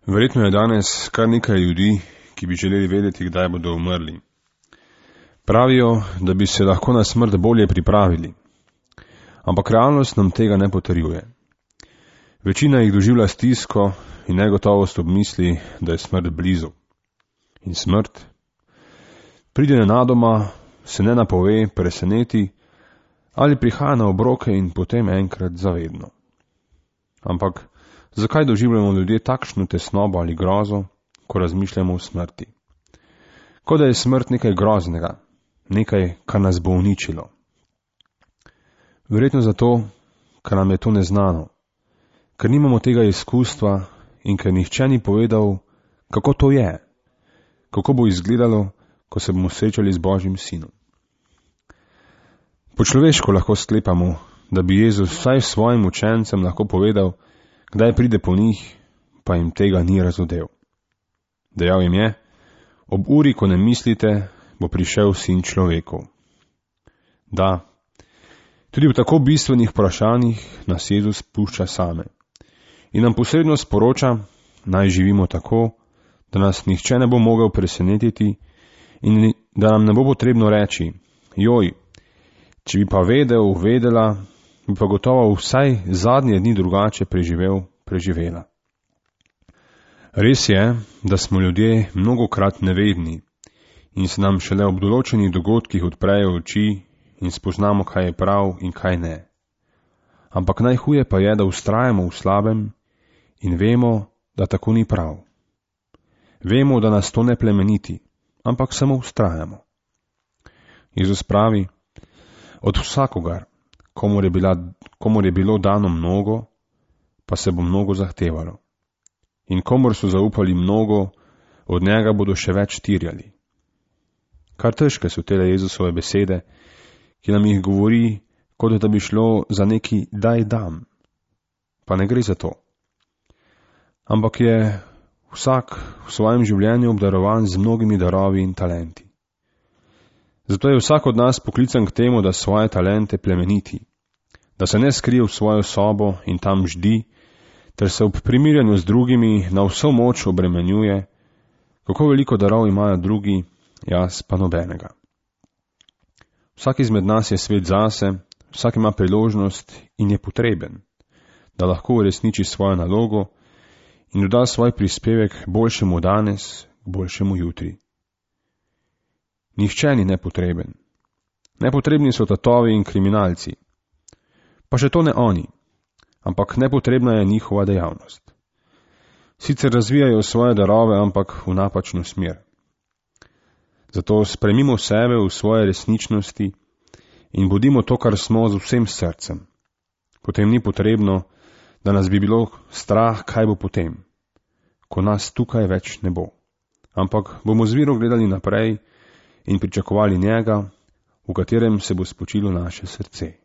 Verjetno je danes kar nekaj ljudi, ki bi želeli vedeti, kdaj bodo umrli. Pravijo, da bi se lahko na smrt bolje pripravili. Ampak realnost nam tega ne potrjuje. Večina jih doživlja stisko in negotovost ob misli, da je smrt blizu. In smrt pride nenadoma, se ne napove, preseneti ali prihaja na obroke in potem enkrat zavedno. Ampak zakaj doživljamo ljudje takšno tesnobo ali grozo, ko razmišljamo o smrti? Kot da je smrt nekaj groznega, nekaj, kar nas bo uničilo. Verjetno zato, ker nam je to neznano, ker nimamo tega izkustva in ker nihče ni povedal, kako to je, kako bo izgledalo, ko se bomo srečali z Božjim sinom. Po človeško lahko sklepamo, da bi Jezus vsaj svojim učencem lahko povedal, kdaj pride po njih, pa jim tega ni razodel. Dejal jim je, ob uri, ko ne mislite, bo prišel sin človekov. Da, tudi v tako bistvenih vprašanjih nas Jezus pušča same in nam posredno sporoča, naj živimo tako, da nas nihče ne bo mogel presenetiti in da nam ne bo potrebno reči, joj, če bi pa vedela, bi pa gotovo vsaj zadnje dni drugače preživela. Res je, da smo ljudje mnogokrat nevedni in se nam šele ob določenih dogodkih odprejo oči in spoznamo, kaj je prav in kaj ne. Ampak najhuje pa je, da vztrajamo v slabem in vemo, da tako ni prav. Vemo, da nas to ne plemeniti, ampak samo vztrajamo. Jezus pravi, od vsakogar, komur je bilo dano mnogo, pa se bo mnogo zahtevalo. In komur so zaupali mnogo, od njega bodo še več terjali. Kar težke so tele Jezusove besede, ki nam jih govori, kot da bi šlo za neki daj dam. Pa ne gre za to. Ampak je vsak v svojem življenju obdarovan z mnogimi darovi in talenti. Zato je vsak od nas poklican k temu, da svoje talente plemeniti, da se ne skrije v svojo sobo in tam ždi, ter se ob primirjanju z drugimi na vso moč obremenjuje, kako veliko darov imajo drugi, jaz pa nobenega. Vsak izmed nas je svet zase, vsak ima priložnost in je potreben, da lahko uresniči svojo nalogo in doda svoj prispevek boljšemu danes, boljšemu jutri. Nihče ni nepotreben. Nepotrebni so tatovi in kriminalci. Pa še to ne oni, ampak nepotrebna je njihova dejavnost. Sicer razvijajo svoje darove, ampak v napačno smer. Zato spremimo sebe v svoje resničnosti in bodimo to, kar smo, z vsem srcem. Potem ni potrebno, da nas bi bilo strah, kaj bo potem, ko nas tukaj več ne bo. Ampak bomo z vero gledali naprej in pričakovali njega, v katerem se bo spočilo naše srce.